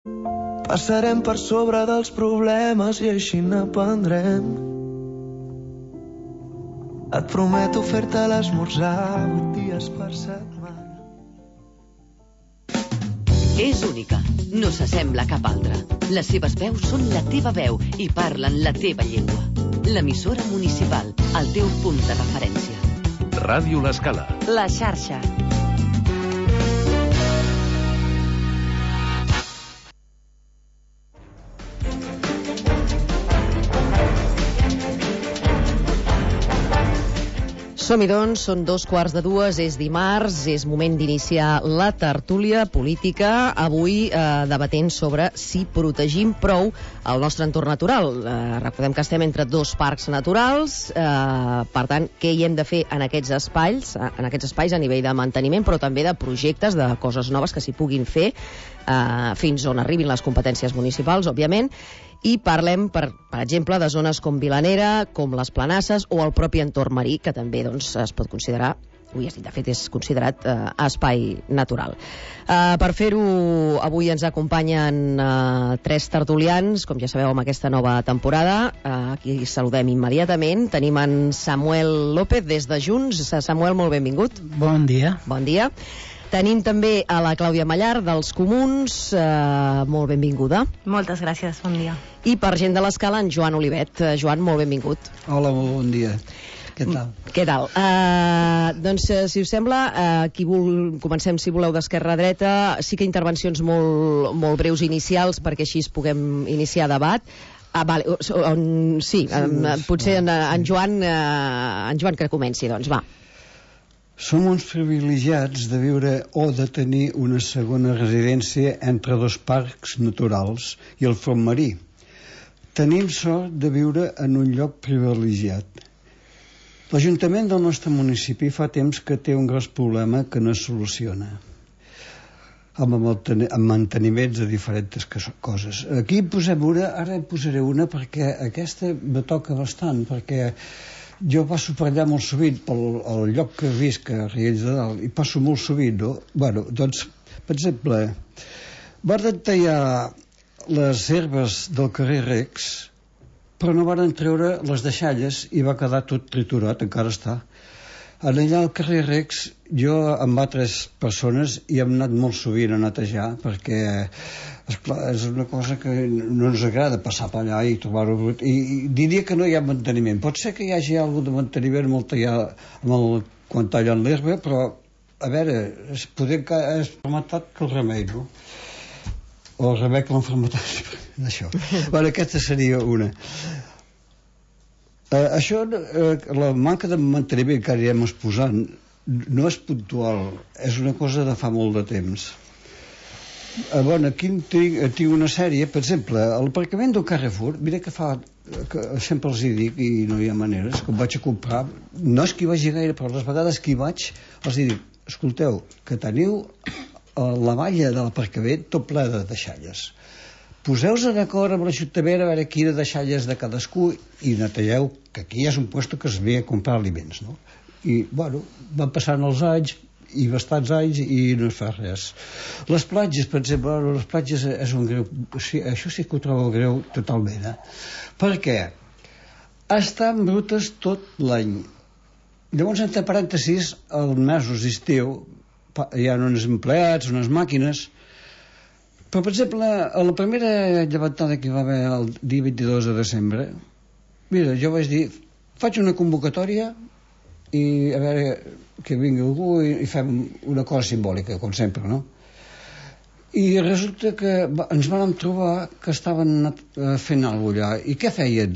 Passarem per sobre dels problemes i així n'aprendrem. Et prometo fer-te l'esmorzar 8 dies per setmana. És única, no s'assembla a cap altra. Les seves veus són la teva veu i parlen la teva llengua. L'emissora municipal, el teu punt de referència. Ràdio L'Escala. La xarxa. Som-hi doncs, són 2:15, és dimarts, és moment d'iniciar la tertúlia política, avui debatent sobre si protegim prou el nostre entorn natural. Recordem que estem entre dos parcs naturals, per tant, què hi hem de fer en aquests espais a nivell de manteniment, però també de projectes, de coses noves que s'hi puguin fer, fins on arribin les competències municipals, òbviament. I parlem, per exemple, de zones com Vilanera, com les Planasses o el propi entorn marí, que també doncs, es pot considerar, de fet és considerat espai natural. Per fer-ho, avui ens acompanyen 3 tertulians, com ja sabeu, amb aquesta nova temporada. Aquí saludem immediatament. Tenim en Samuel López des de Junts. Samuel, molt benvingut. Bon dia. Bon dia. Tenim també a la Clàudia Mallar, dels Comuns. Molt benvinguda. Moltes gràcies, bon dia. I per gent de l'Escala, en Joan Olivet. Joan, molt benvingut. Hola, molt bon dia. Què tal? Què tal? Doncs, si us sembla, comencem, si voleu, d'esquerra a dreta. Sí que intervencions molt breus inicials, perquè així puguem iniciar debat. Vale, sí, potser en Joan que comenci, doncs, va. Som uns privilegiats de viure o de tenir una segona residència entre dos parcs naturals i el front marí. Tenim sort de viure en un lloc privilegiat. L'Ajuntament del nostre municipi fa temps que té un gros problema que no es soluciona, amb manteniments de diferents coses. Aquí posem una, ara en posaré una perquè aquesta me toca bastant, perquè jo passo per allà molt sovint, pel lloc que visc, a Riells de Dalt, i passo molt sovint, no? Bueno, doncs, per exemple, van tallar les herbes del carrer Recs, però no van treure les deixalles i va quedar tot triturat, encara està. Allà al carrer Recs, jo amb altres persones hi hem anat molt sovint a netejar, perquè esclar, és una cosa que no ens agrada passar per allà i trobar-ho brut, i diria que no hi ha manteniment. Pot ser que hi hagi alguna de manteniment quan tallen l'herba, però a veure, poder que és fermentat que el remei, no? O el remei que l'enfermetat d'això. Bueno, aquesta seria una. Això, la manca de manteniment que ara hem exposant no és puntual, és una cosa de fa molt de temps. Bueno, aquí tinc una sèrie, per exemple, l'aparcament del Carrefour, mira que sempre els hi dic i no hi ha maneres, que em vaig a comprar, no és que hi vagi gaire, però les vegades que hi vaig els hi dic, escolteu, que teniu la valla de l'aparcament tot ple de deixalles. Poseu-vos d'acord amb l'Ajuntament a veure quina deixalles de cadascú i netejeu, que aquí és un lloc que es ve a comprar aliments, no? I, bueno, van passant els anys i bastants anys i no es fa res. Les platges, per exemple, les platges és un greu, això sí que ho trobo greu totalment, Per què? Estan brutes tot l'any. Llavors, entre parèntesis, els mesos d'estiu hi ha uns empleats, unes màquines, però, per exemple, a la primera llevantada que hi va haver el dia 22 de desembre, mira, jo vaig dir, faig una convocatòria i a veure que vingui algú i fem una cosa simbòlica, com sempre, no? I resulta que ens vam trobar que estaven fent alguna cosa allà. I què feien?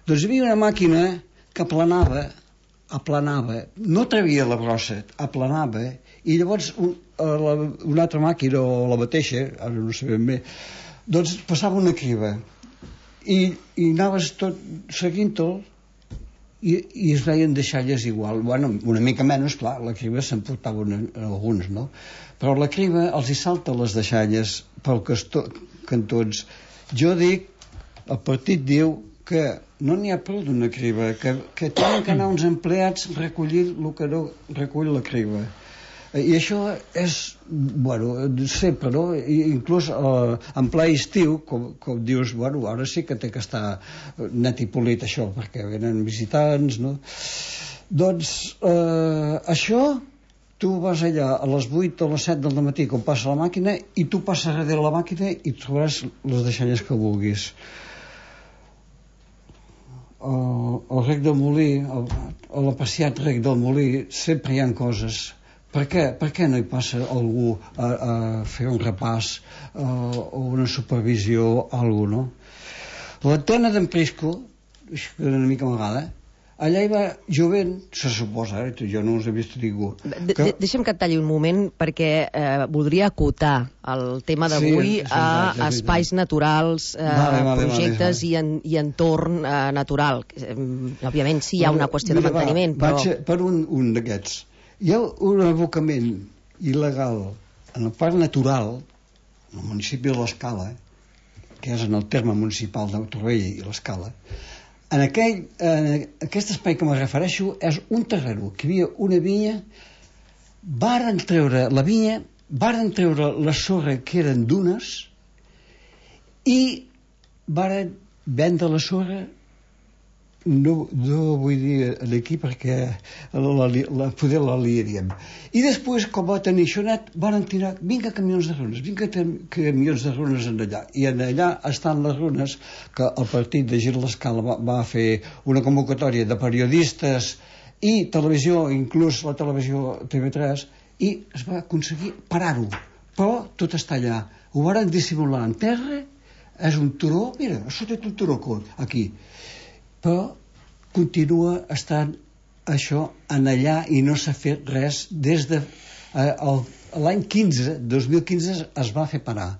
Doncs hi havia una màquina que aplanava, no trevia la brossa, aplanava, i llavors una altra màquina o la mateixa, ara no sabem bé, doncs passava una criba i anaves tot seguint-ho i es veien deixalles igual. Bueno, una mica menys, clar, la criba s'emportaven alguns, no? Però la criba els hi salta les deixalles pel cantons. Jo dic, el partit diu que no n'hi ha prou d'una criba, que tenen que anar uns empleats recollint el que no recull la criba. I això és, bueno, sempre, no? Inclús en ple estiu, com dius, bueno, ara sí que té que estar net i polit això, perquè venen visitants, no? Doncs això, tu vas allà a les 8 o les 7 del matí quan passa la màquina i tu passes darrere la màquina i trobaràs les deixalles que vulguis. Al Rec del Molí, a l'apreciat Rec del Molí, sempre hi ha coses. Per què no hi passa algú a fer un repàs o una supervisió o alguna cosa, no? L'antena d'en Prisco, una mica amagada, allà hi va jovent, se suposa, jo no us he vist ningú. Deixa'm que et talli un moment, perquè voldria acotar el tema d'avui a espais naturals, projectes i entorn natural. Òbviament sí hi ha una qüestió de manteniment, però... Vaig per un d'aquests. Hi ha un abocament il·legal en el parc natural, en el municipi de l'Escala, que és en el terme municipal de Torroella i l'Escala. En aquest espai que me refereixo és un terreno, que hi havia una vinya, varen treure la vinya, varen treure la sorra que eren dunes i varen vendre la sorra, no vull dir aquí perquè poder la liaríem. I després, com va tenir això net, van tirar 20 camions de runes en allà. I en allà estan les runes que el partit de Gir l'Escala va fer una convocatòria de periodistes i televisió, inclús la televisió TV3, i es va aconseguir parar-ho. Però tot està allà. Ho van dissimular en terra, és un turó, mira, això té un turó aquí. Però continua estant això en allà i no s'ha fet res des de l'any 2015 es va fer parar,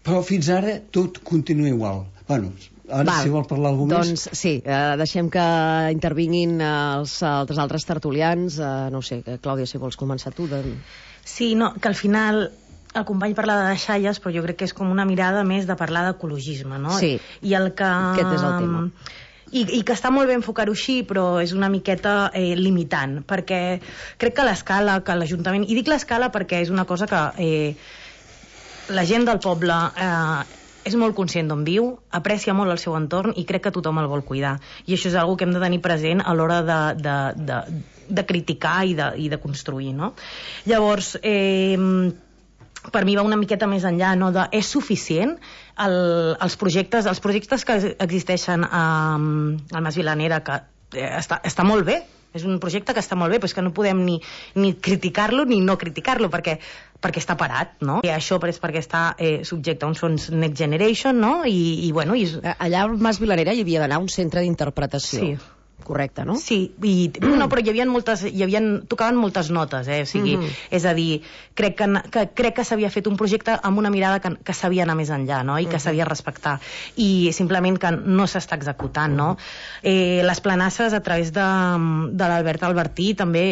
però fins ara tot continua igual. Bueno, ara si vol parlar algú més... Doncs sí, deixem que intervinguin els altres tertulians. No sé, Clàudia, si vols començar tu. Sí, no, que al final... El company parla de deixalles, però jo crec que és com una mirada més de parlar d'ecologisme, no? Sí, aquest és el tema. I que està molt bé enfocar-ho així, però és una miqueta limitant, perquè crec que l'Escala, que l'Ajuntament... I dic l'Escala perquè és una cosa que la gent del poble és molt conscient d'on viu, aprecia molt el seu entorn i crec que tothom el vol cuidar. I això és una cosa que hem de tenir present a l'hora de criticar i de construir, no? Llavors... per mi va una miqueta més enllà, no? És suficient els projectes que existeixen al Mas Vilanera, que està molt bé, és un projecte que està molt bé, però és que no podem ni criticar-lo ni no criticar-lo, perquè està parat, no? I això és perquè està subjecte a uns fons Next Generation, no? I bueno... Allà al Mas Vilanera hi havia d'anar un centre d'interpretació. Sí. Correcte, no? Sí, però hi havia tocaven moltes notes, o sigui, és a dir, crec que s'havia fet un projecte amb una mirada que s'havia d'anar més enllà, no? I que s'havia de respectar, i simplement que no s'està executant, no? Les planasses, a través de l'Albert Albertí, també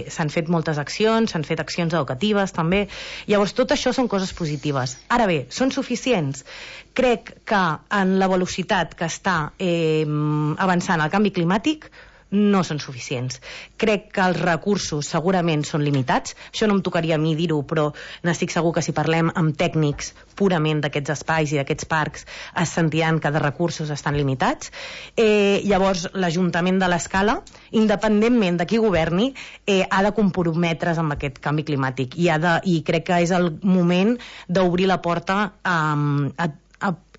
s'han fet moltes accions, s'han fet accions educatives, també. Llavors, tot això són coses positives. Ara bé, són suficients? Crec que en la velocitat que està avançant el canvi climàtic no són suficients. Crec que els recursos segurament són limitats. Això no em tocaria a mi dir-ho, però n'estic segur que si parlem amb tècnics purament d'aquests espais i d'aquests parcs es sentiran que de recursos estan limitats. Llavors, l'Ajuntament de l'Escala, independentment de qui governi, ha de comprometre's amb aquest canvi climàtic i crec que és el moment d'obrir la porta a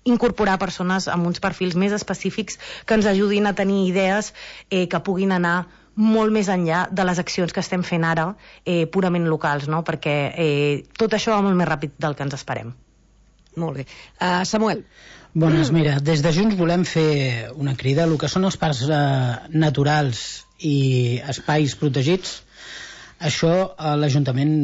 incorporar persones amb uns perfils més específics que ens ajudin a tenir idees que puguin anar molt més enllà de les accions que estem fent ara purament locals, no? Perquè tot això va molt més ràpid del que ens esperem. Molt bé. Samuel. Bones, mira, des de Junts volem fer una crida. El que són els parcs naturals i espais protegits, això l'Ajuntament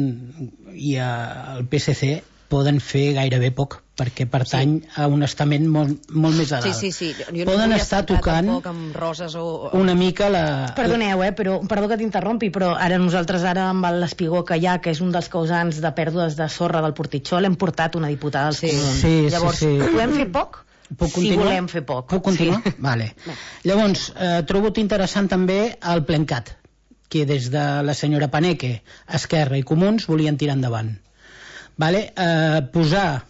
i el PSC poden fer gairebé poc, perquè pertany a un estament molt més a dalt. Sí. Poden estar tocant una mica la... Perdoneu, perdó que t'interrompi, però ara nosaltres amb l'espigó que hi ha, que és un dels causants de pèrdues de sorra del Portitxó, l'hem portat una diputada als comuns. Llavors, podem fer poc? Si volem fer poc. Puc continuar? Vale. Llavors, trobo interessant també el Plencat. que des de la senyora Paneque, Esquerra i Comuns volien tirar endavant. Posar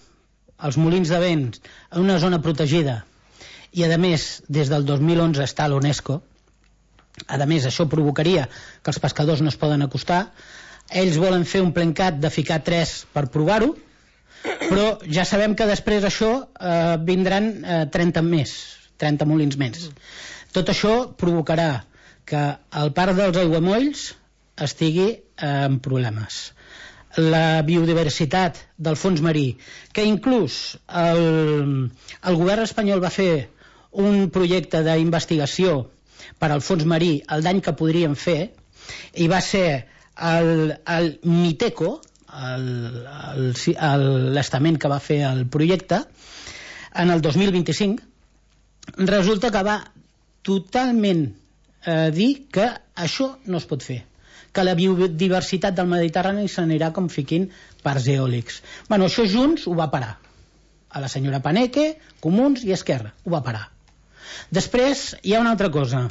els molins de vent en una zona protegida i, a més, des del 2011 està a l'UNESCO. A més, això provocaria que els pescadors no es poden acostar. Ells volen fer un plencat de ficar 3 per provar-ho, però ja sabem que després d'això vindran 30 molins més. Tot això provocarà que el parc dels aiguamolls estigui en problemes. La biodiversitat del fons marí, que inclús el govern espanyol va fer un projecte d'investigació per al fons marí, el dany que podrien fer, i va ser el Miteco, l'estament que va fer el projecte, en el 2025, resulta que va totalment dir que això no es pot fer, que la biodiversitat del Mediterrani s'anirà com fiquint parcs eòlics. Bueno, això junts ho va parar. A la senyora Paneque, Comuns i Esquerra, ho va parar. Després hi ha una altra cosa,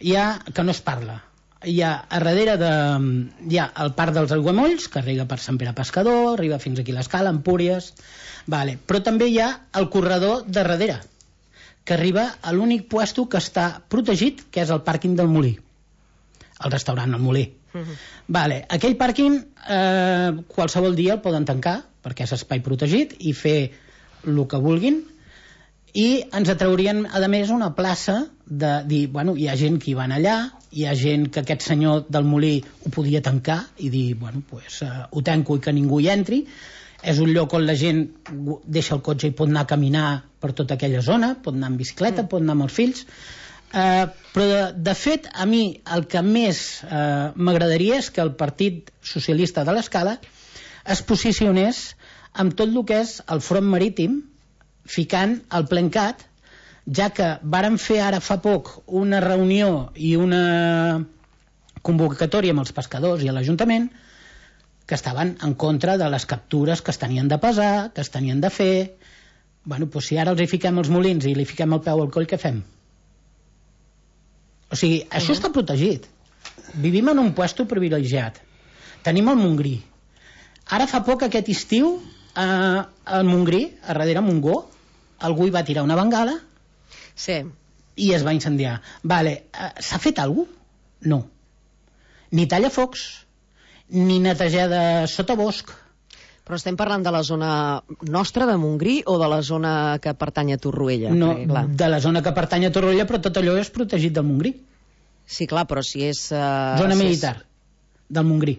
que no es parla. Hi ha a darrere hi ha el parc dels aiguamolls, que arriba per Sant Pere Pescador, arriba fins aquí a l'Escala, Empúries, però també hi ha el corredor de darrere, que arriba a l'únic puesto que està protegit, que és el pàrquing del Molí, el restaurant El Molí. Aquell pàrquing qualsevol dia el poden tancar perquè és espai protegit i fer el que vulguin, i ens atraurien a més una plaça de dir, bueno, hi ha gent que hi van allà, hi ha gent que aquest senyor del Molí ho podia tancar i dir, bueno, pues ho tanco i que ningú hi entri. És un lloc on la gent deixa el cotxe i pot anar a caminar per tota aquella zona, pot anar en bicicleta, pot anar amb els fills. Però de fet a mi el que més m'agradaria és que el Partit Socialista de l'Escala es posicionés amb tot el que és el front marítim, ficant el Plencat, ja que varen fer ara fa poc una reunió i una convocatòria amb els pescadors i a l'Ajuntament, que estaven en contra de les captures que es tenien de pesar, que es tenien de fer. Bueno, doncs si ara els hi fiquem els molins i li fiquem el peu al coll, què fem? O sigui, això està protegit. Vivim en un puesto privilegiat. Tenim el Montgrí. Ara fa poc, aquest estiu, al Montgrí, a darrere Montgó, algú hi va tirar una bengala i es va incendiar. S'ha fet alguna cosa? No. Ni tallafocs, ni netejar de sotabosc. Però estem parlant de la zona nostra de Montgrí o de la zona que pertany a Torroella? No, de la zona que pertany a Torroella, però tot allò és protegit del Montgrí. Sí, clar, però si és... Zona militar del Montgrí.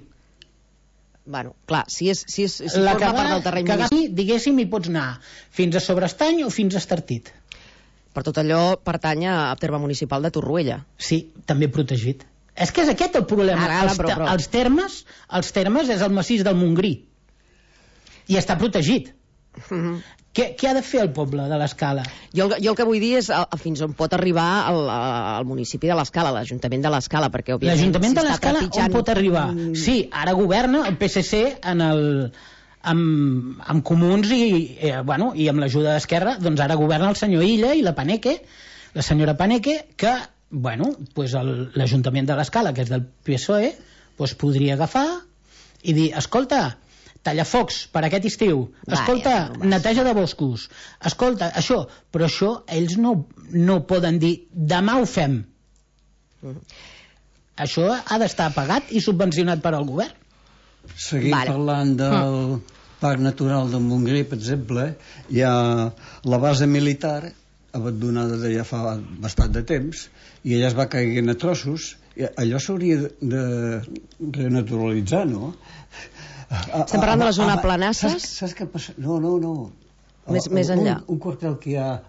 Bueno, clar, si forma part del terreny municipal... Diguéssim, hi pots anar fins a Sobrestany o fins a Estartit. Per tot allò pertany a terme municipal de Torroella. Sí, també protegit. És que és aquest el problema. Els termes és el massís del Montgrí i està protegit. Què ha de fer el poble de l'Escala? Jo el que vull dir és fins on pot arribar el municipi de l'Escala, l'Ajuntament de l'Escala, perquè òbviament... L'Ajuntament de l'Escala on pot arribar? Sí, ara governa el PSC amb Comuns i amb l'ajuda d'Esquerra, doncs ara governa el senyor Illa i la Paneque, la senyora Paneque, que l'Ajuntament de l'Escala, que és del PSOE, podria agafar i dir, escolta, tallafocs per aquest estiu, escolta, neteja de boscos, escolta, això, però això ells no poden dir, demà ho fem. Això ha d'estar pagat i subvencionat per al govern. Seguim parlant del Parc Natural del Montgrí, per exemple, hi ha la base militar abandonada de ja fa bastant de temps i ella es va caient a trossos. Allò s'hauria de renaturalitzar, no? Estem parlant de la zona Planasses? Saps què passa? No. Més enllà. Un quartel que hi ha a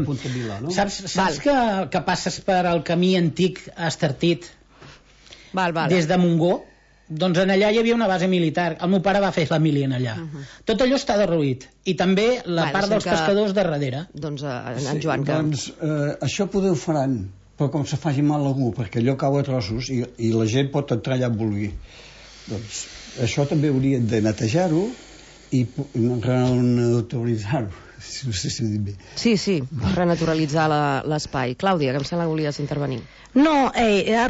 Punta Milà, no? Saps que passes per el camí antic a Estartit des de Montgó? Doncs en allà hi havia una base militar. El meu pare va fer la mili en allà. Tot allò està derruït. I també la part dels pescadors de darrere. Doncs en Joan que... Doncs això poder ho faran, però com se faci mal a algú, perquè allò cau a trossos i la gent pot entrar allà en vulgui. Doncs això també haurien de netejar-ho i renaturalitzar-ho. No sé si ho dic bé. Sí, renaturalitzar l'espai. Clàudia, que em sembla que volies intervenir. No,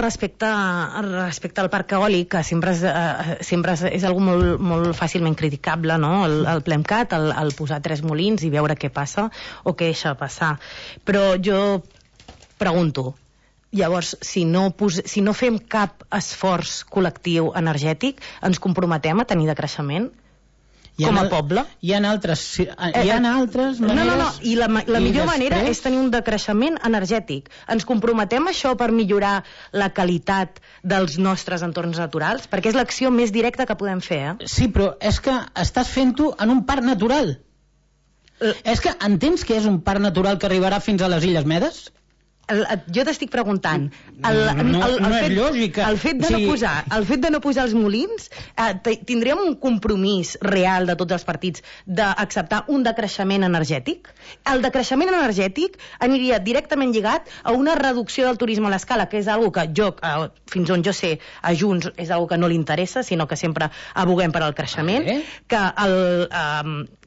respecte al parc eòlic, que sempre és algo molt fàcilment criticable, no? El PLEMCAT, el posar 3 molins i veure què passa o què deixa passar. Però jo pregunto, llavors, si no fem cap esforç col·lectiu energètic, ens comprometem a tenir decreixement? Com a poble? Hi ha altres maneres... No, i la millor manera és tenir un decreixement energètic. Ens comprometem a això per millorar la qualitat dels nostres entorns naturals? Perquè és l'acció més directa que podem fer, Sí, però és que estàs fent-ho en un parc natural. És que entens que és un parc natural que arribarà fins a les Illes Medes? Jo t'estic preguntant, no és lògica. el fet de no posar els molins, tindríem un compromís real de tots els partits d'acceptar un decreixement energètic? El decreixement energètic aniria directament lligat a una reducció del turisme a l'escala, que és una que fins on jo sé, a Junts és una que no li interessa, sinó que sempre aboguem per al creixement, que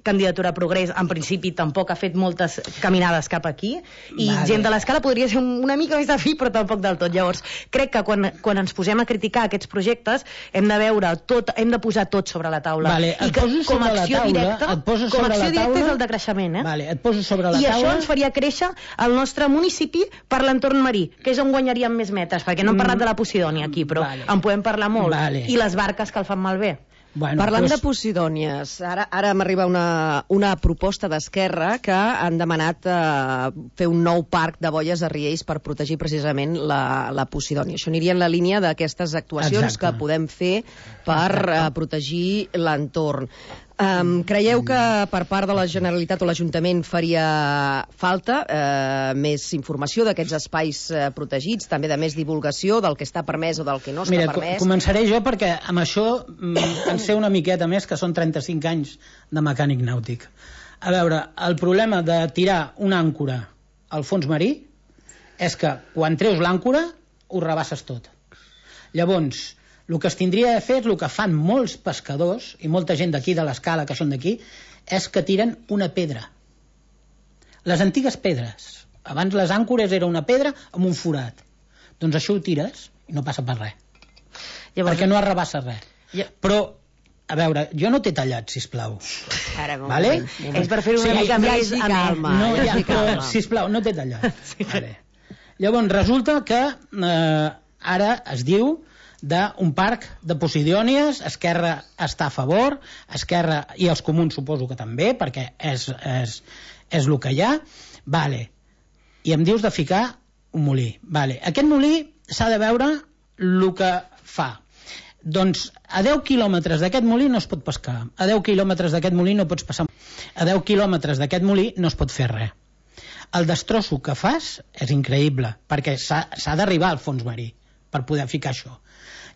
Candidatura Progrés en principi tampoc ha fet moltes caminades cap aquí, i gent de l'escala podria ser una mica més afí, però tampoc del tot. Llavors, crec que quan ens posem a criticar aquests projectes hem de posar tot sobre la taula. I que com a acció directa és el decreixement. Et poso sobre la taula. I això ens faria créixer el nostre municipi per l'entorn marí, que és on guanyaríem més metres, perquè no hem parlat de la Posidònia aquí, però en podem parlar molt. I les barques que el fan malbé. Parlant de Posidònies, ara m'arriba una proposta d'Esquerra que han demanat fer un nou parc de boies a Riells per protegir precisament la Posidònia. Això aniria en la línia d'aquestes actuacions que podem fer per protegir l'entorn. Creieu que per part de la Generalitat o l'Ajuntament faria falta més informació d'aquests espais protegits, també de més divulgació del que està permès o del que no està permès? Mira, començaré jo perquè amb això en sé una miqueta més, que són 35 anys de mecànic nàutic. A veure, el problema de tirar una àncora al fons marí és que quan treus l'àncora ho rebasses tot. Llavors, el que es tindria de fer és el que fan molts pescadors i molta gent d'aquí de l'escala que són d'aquí, és que tiren una pedra. Les antigues pedres. Abans les àncores era una pedra amb un forat. Doncs això ho tires i no passa per res. Perquè no arrebassa res. Però, a veure, jo no t'he tallat, sisplau. Vale? És per fer una mica més calma. Sisplau, no t'he tallat. Llavors, resulta que ara es diu d'un parc de Posidònies. Esquerra està a favor, Esquerra i els comuns suposo que també, perquè és el que hi ha. I em dius de ficar un molí. Aquest molí s'ha de veure el que fa. Doncs a 10 quilòmetres d'aquest molí no es pot pescar, a 10 quilòmetres d'aquest molí no pots passar, a 10 quilòmetres d'aquest molí no es pot fer res. El destrosso que fas és increïble, perquè s'ha d'arribar al fons marí per poder ficar això.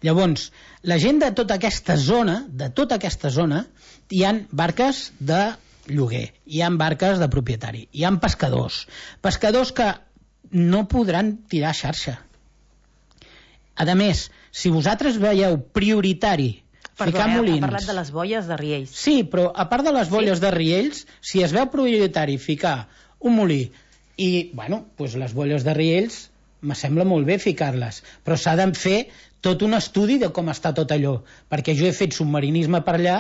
Llavors, la gent de tota aquesta zona, hi ha barques de lloguer, hi ha barques de propietari, hi ha pescadors que no podran tirar xarxa. A més, si vosaltres veieu prioritari ficar molins... Ha parlat de les boies de Riells. Sí, però a part de les boies de Riells, si es veu prioritari ficar un molí i, doncs les boies de Riells me sembla molt bé ficar-les, però s'ha de fer tot un estudi de com està tot allò, perquè jo he fet submarinisme per allà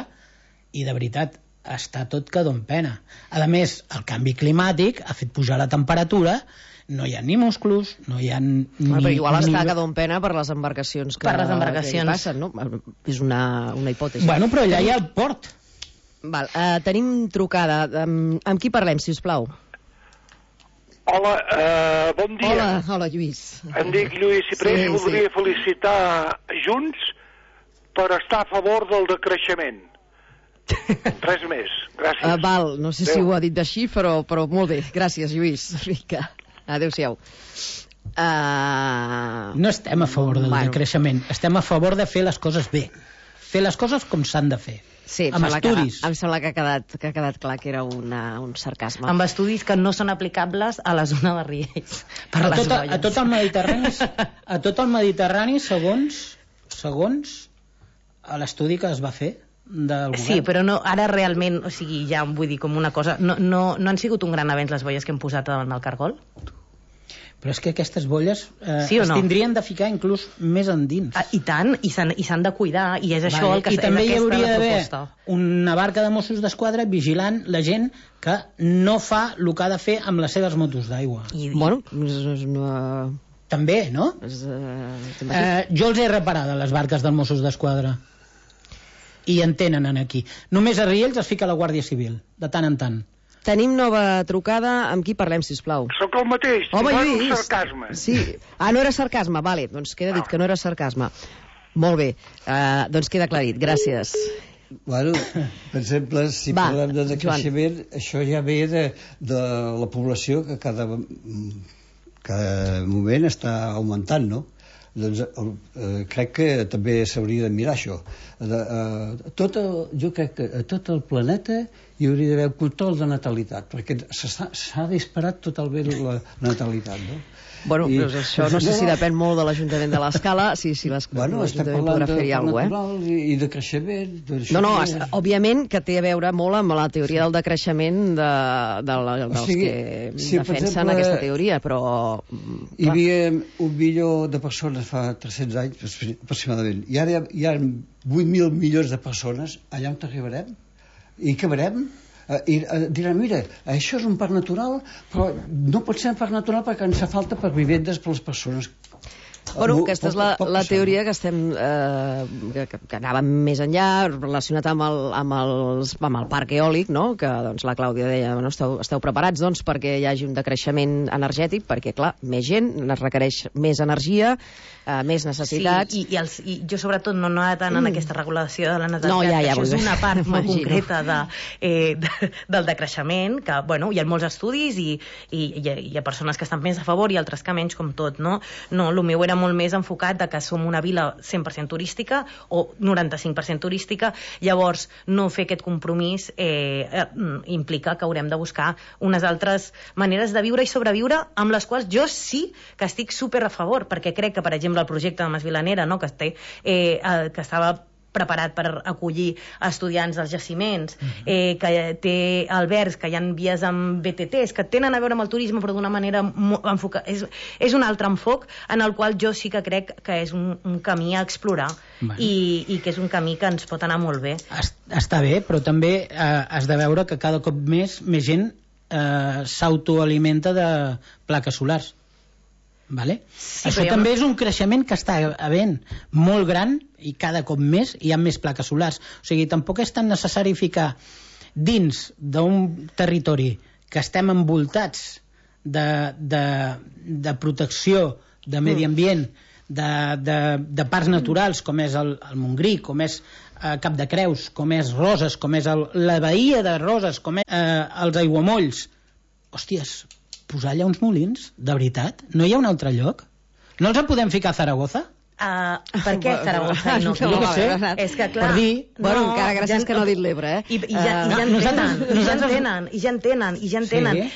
i de veritat està tot que dona pena. A més, el canvi climàtic ha fet pujar la temperatura, no hi ha ni musclos, no hi ha ni... Però igual està que dona pena per les embarcacions que passen, no? És una hipòtesi. Però allà hi ha el port. Tenim trucada. Amb qui parlem, si us plau? Hola, bon dia. Hola, Lluís. Em dic Lluís Ciprés i voldria felicitar Junts per estar a favor del decreixement. Res més. Gràcies. No sé si ho ha dit així, però molt bé. Gràcies, Lluís. Adéu-siau. No estem a favor del decreixement, estem a favor de fer les coses bé. Fer les coses com s'han de fer. Sí, em sembla que ha quedat clar que era un sarcasme. Amb estudis que no són aplicables a la zona de Riells. A tot el Mediterrani, segons l'estudi que es va fer, del govern. Sí, però no, ara realment, o sigui, ja vull dir com una cosa, no han sigut un gran avenç les boies que hem posat davant del cargol? Però és que aquestes bolles sí es tindrien de ficar inclús més endins. I tant, i s'han de cuidar, i és això el que I també hi hauria d'haver proposta. Una barca de Mossos d'Esquadra vigilant la gent que no fa el que ha de fer amb les seves motos d'aigua. Bueno, és una... També, no? Jo els he reparat a les barques dels Mossos d'Esquadra. I en tenen aquí. Només a Riells es fica la Guàrdia Civil, de tant en tant. Tenim nova trucada. Amb qui parlem, sisplau? Sóc el mateix. Home, Lluís. Sarcasme. Sí. No era sarcasme. Vale, doncs queda dit que no era sarcasme. Molt bé. Doncs queda aclarit. Gràcies. Bueno, per exemple, si parlem de decreixement, això ja ve de la població que cada moment està augmentant, no? Doncs crec que també s'hauria de mirar això. Jo crec que a tot el planeta hi hauria d'haver un control de natalitat, perquè s'ha disparat totalment la natalitat, no? Bueno, doncs això no sé si depèn molt de l'Ajuntament de l'Escala, si l'Ajuntament podrà fer-hi alguna cosa, i de creixement... No, òbviament que té a veure molt amb la teoria del decreixement dels que defensen aquesta teoria, però... Hi havia 1 milió de persones fa 300 anys, aproximadament, i ara hi ha 8.000 milions de persones. Allà on arribarem? I què veurem? I diran, mira, això és un parc natural, però no pot ser un parc natural perquè ens fa falta per vivendes per les persones. Bueno, aquesta és la teoria que estem que anàvem més enllà, relacionat amb el parc eòlic, no? Que doncs, la Clàudia deia, bueno, esteu preparats doncs, perquè hi hagi un decreixement energètic, perquè clar, més gent es requereix més energia, més necessitats. Sí, i jo sobretot no anava tant en aquesta regulació de la natalitat, no, ja, això és una part molt concreta del decreixement, que bueno, hi ha molts estudis i hi ha persones que estan més a favor i altres que menys, com tot, no? No, el meu era molt més enfocat de que som una vila 100% turística o 95% turística, llavors no fer aquest compromís implica que haurem de buscar unes altres maneres de viure i sobreviure, amb les quals jo sí que estic super a favor, perquè crec que, per exemple, el projecte de Mas Vilanera, no? que estava preparat per acollir estudiants dels jaciments, que té albergs, que hi ha vies amb BTTs, que tenen a veure amb el turisme, però d'una manera enfocada. És un altre enfoc en el qual jo sí que crec que és un camí a explorar, i que és un camí que ens pot anar molt bé. Està bé, però també has de veure que cada cop més gent s'autoalimenta de plaques solars. Vale? Sí, això també és un creixement que està havent molt gran, i cada cop més hi ha més plaques solars. O sigui, tampoc és tan necessari ficar dins d'un territori que estem envoltats de protecció, de medi ambient, de parcs naturals, com és el Montgrí, com és Cap de Creus, com és Roses, com és la Bahia de Roses, com és els Aiguamolls. Hòsties, posar allà uns molins, de veritat? No hi ha un altre lloc? No els en podem ficar a Zaragoza? Per què Zaragoza? No sé. És que clar... Per dir... Bueno, encara gràcies que no ha dit l'Ebre, I ja en tenen.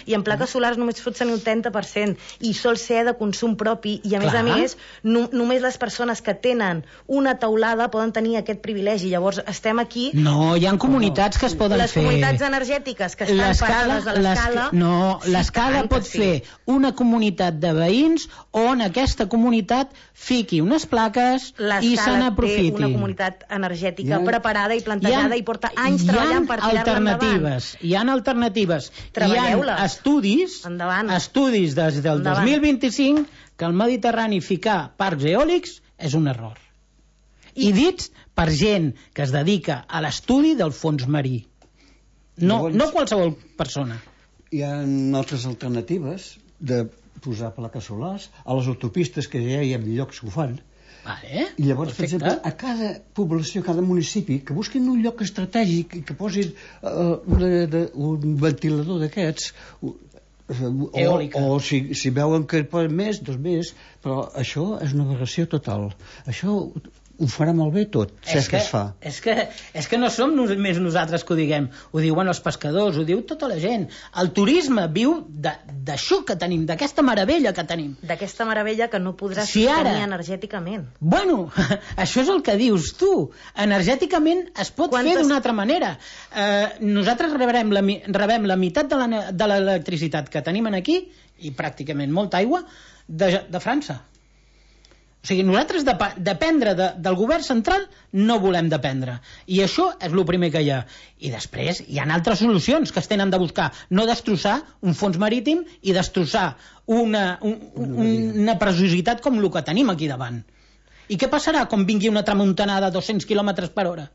I en plaques solars només pots tenir el 30%, i sol ser de consum propi, i a més, només les persones que tenen una teulada poden tenir aquest privilegi. Llavors estem aquí... No, hi ha comunitats que es poden fer. Les comunitats energètiques que estan parades a l'Escala... No, l'Escala pot fer una comunitat de veïns on aquesta comunitat fiqui unes plaques i se n'aprofiti. Té una comunitat energètica preparada i plantejada i porta anys treballant per tirar-la endavant. Hi ha alternatives. Treballeu-les. Hi ha estudis des del 2025 que al Mediterrani ficar parcs eòlics és un error. I dits per gent que es dedica a l'estudi del fons marí. No qualsevol persona. Hi ha altres alternatives de posar plaques solars a les autopistes, que ja hi ha llocs que ho fan. I llavors, per exemple, a cada població, a cada municipi, que busquin un lloc estratègic i que posin un ventilador d'aquests, o si veuen que poden més, doncs més, però això és una aberració total. Això ho farà molt bé tot, si és que es fa. És que no som només nosaltres que ho diguem, ho diuen els pescadors, ho diu tota la gent. El turisme viu d'això que tenim, d'aquesta meravella que tenim. D'aquesta meravella que no podràs tenir energèticament. Bueno, això és el que dius tu. Energèticament es pot fer d'una altra manera. Nosaltres rebem la meitat de l'electricitat que tenim aquí, i pràcticament molta aigua, de França. O sigui, nosaltres dependre del govern central no volem dependre. I això és el primer que hi ha. I després hi ha altres solucions que es tenen de buscar. No destrossar un fons marítim i destrossar una preciositat com el que tenim aquí davant. I què passarà quan vingui una tramuntanada a 200 km per hora?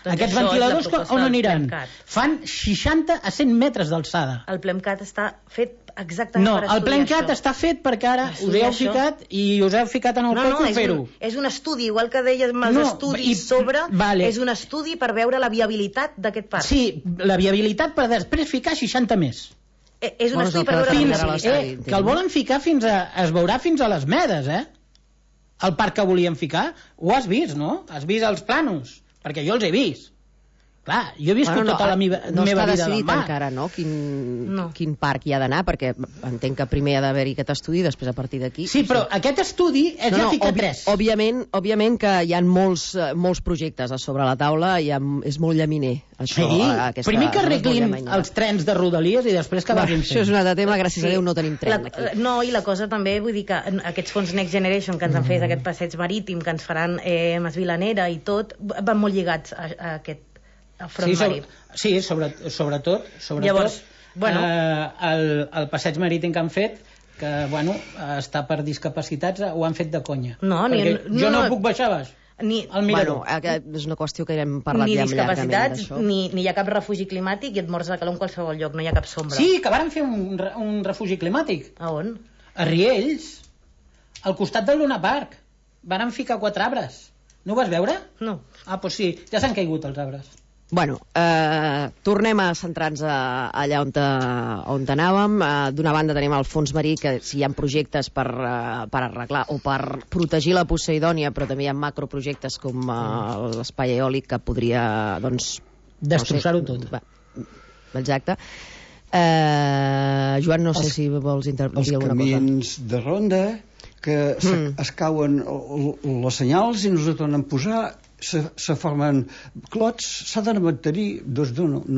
Doncs aquests ventiladors on aniran? Fan 60 a 100 metres d'alçada. El PLEMCAT està fet exactament per estudiar això. No, el PLEMCAT està fet perquè ara us heu ficat i us heu ficat en el coco a fer-ho. És un estudi, igual que deies amb els estudis sobre, és un estudi per veure la viabilitat d'aquest parc. Sí, la viabilitat per després ficar 60 més. És un estudi per veure la viabilitat. Que el volen ficar es veurà fins a les Medes, el parc que volien ficar. Ho has vist, no? Has vist els planos? Perquè jo els he vist. Clar, jo he viscut tota la meva vida no està del decidit mar. encara, no? Quin parc hi ha d'anar, perquè entenc que primer ha d'haver-hi aquest estudi i després a partir d'aquí... Sí, però aquest estudi ja fica 3. Òbviament que hi ha molts projectes a sobre la taula i és molt llaminer. Això, primer que arreglin els trens de Rodalies i després que vagin fent. Això és un altre tema, gràcies a Déu no tenim tren aquí. No, i la cosa també, vull dir que aquests fons Next Generation que ens han fet, aquest passeig marítim que ens faran Mas Vilanera i tot, van molt lligats a aquest front marí. Sí, sobretot llavors, el passeig marítim que han fet, que està per discapacitats, ho han fet de conya. Jo no puc baixar baix. És una qüestió que hem parlat ja llargament d'això. Ni hi ha cap refugi climàtic i et mors de calor en qualsevol lloc, no hi ha cap sombra. Sí, que varen fer un refugi climàtic. A on? A Riells, al costat del Luna Park. Varen ficar 4 arbres. No ho vas veure? No. Doncs sí, ja s'han caigut els arbres. Bueno, tornem a centrar-nos allà on anàvem. D'una banda tenim el fons marí, que si hi ha projectes per arreglar o per protegir la Poseidònia, però també hi ha macroprojectes com l'espai eòlic que podria, destrossar-ho tot. Exacte. Joan, no sé si vols intervenir alguna cosa. Els camins de ronda que es cauen les senyals i no es tornen a posar, se formen clots, s'ha de mantenir, no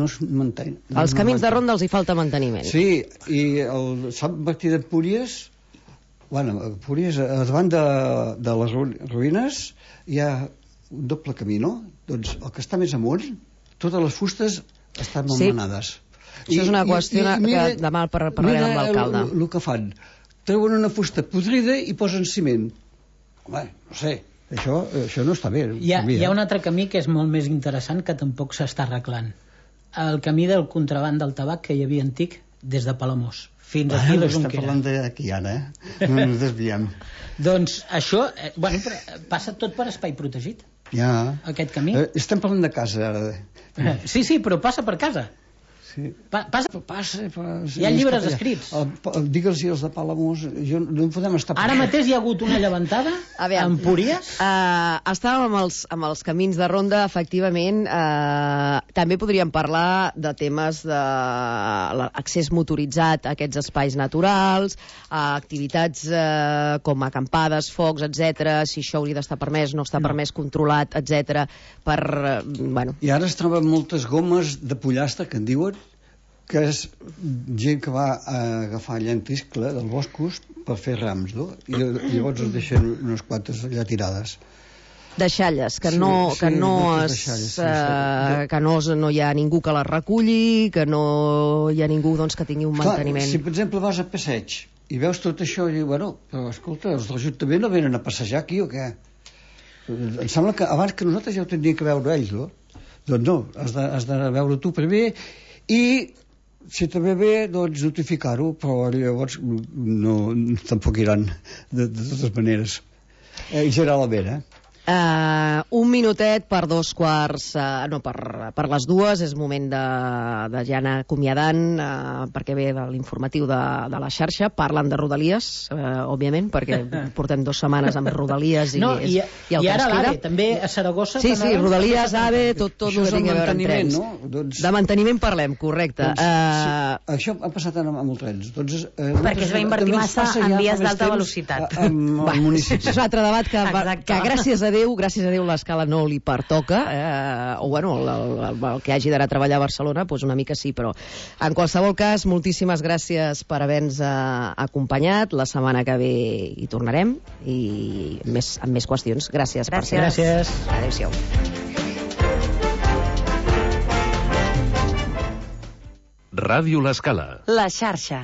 es mantenen. Els camins de ronda els hi falta manteniment. Sí, i el Sant Martí d'Empúries, Empúries, davant de les ruïnes hi ha un doble camí, no? Doncs el que està més amunt, totes les fustes estan malmenades. Això és una qüestió que demà parlarem amb l'alcalde. El que fan, treuen una fusta podrida i posen ciment. Home, no sé, això no està bé. Hi ha un altre camí que és molt més interessant, que tampoc s'està arreglant. El camí del contraband del tabac que hi havia antic des de Palamós fins aquí a Junquera. Estem parlant d'aquí ara, no ens desviem. Doncs això, passa tot per espai protegit. Ja. Aquest camí. Estem parlant de casa ara. Sí, però passa per casa. Sí. Passa. Hi ha llibres escrits. Digues-hi els de Palamós, no podem estar... Ara mateix hi ha hagut una llevantada a Empúries. Estàvem amb els camins de ronda, efectivament. També podríem parlar de temes d'accés motoritzat a aquests espais naturals, activitats com acampades, focs, etc. Si això hauria d'estar permès, no està permès, controlat, etc. I ara es troben moltes gomes de pollastre, que en diuen, que és gent que va a agafar llentiscle dels boscos per fer rams, no? I llavors es deixen unes quantes allà tirades. Deixalles, que no hi ha ningú que les reculli, que no hi ha ningú que tingui un manteniment. Si per exemple vas a passeig i veus tot això i dius, però escolta, els de l'Ajuntament no venen a passejar aquí o què? Em sembla que abans que nosaltres ja ho tindríem que veure ells, no? Doncs no, has de veure tu primer i si també ve, doncs notificar-ho, però llavors tampoc iran de totes maneres. Generalment, Un minutet per 2:15, no, per les 2, és moment de ja anar acomiadant, perquè ve de l'informatiu de la xarxa, parlen de Rodalies, òbviament, perquè portem 2 setmanes amb Rodalies i el que ara ens queda. l'AVE, també a Saragossa. Sí, Rodalies, AVE, tot el que tingui a veure amb trens. No? De manteniment parlem, correcte. Això ha passat amb els trens. Perquè es va invertir massa en vies d'alta velocitat. Al municipi. Això és un altre debat que gràcies a Déu l'escala no li pertoca, o bueno, el que hagi d'anar a treballar a Barcelona, doncs una mica sí, però en qualsevol cas, moltíssimes gràcies per haver-nos acompanyat. La setmana que ve hi tornarem i amb més qüestions. Gràcies. Gràcies. Adéu-siau. Ràdio L'Escala. La xarxa.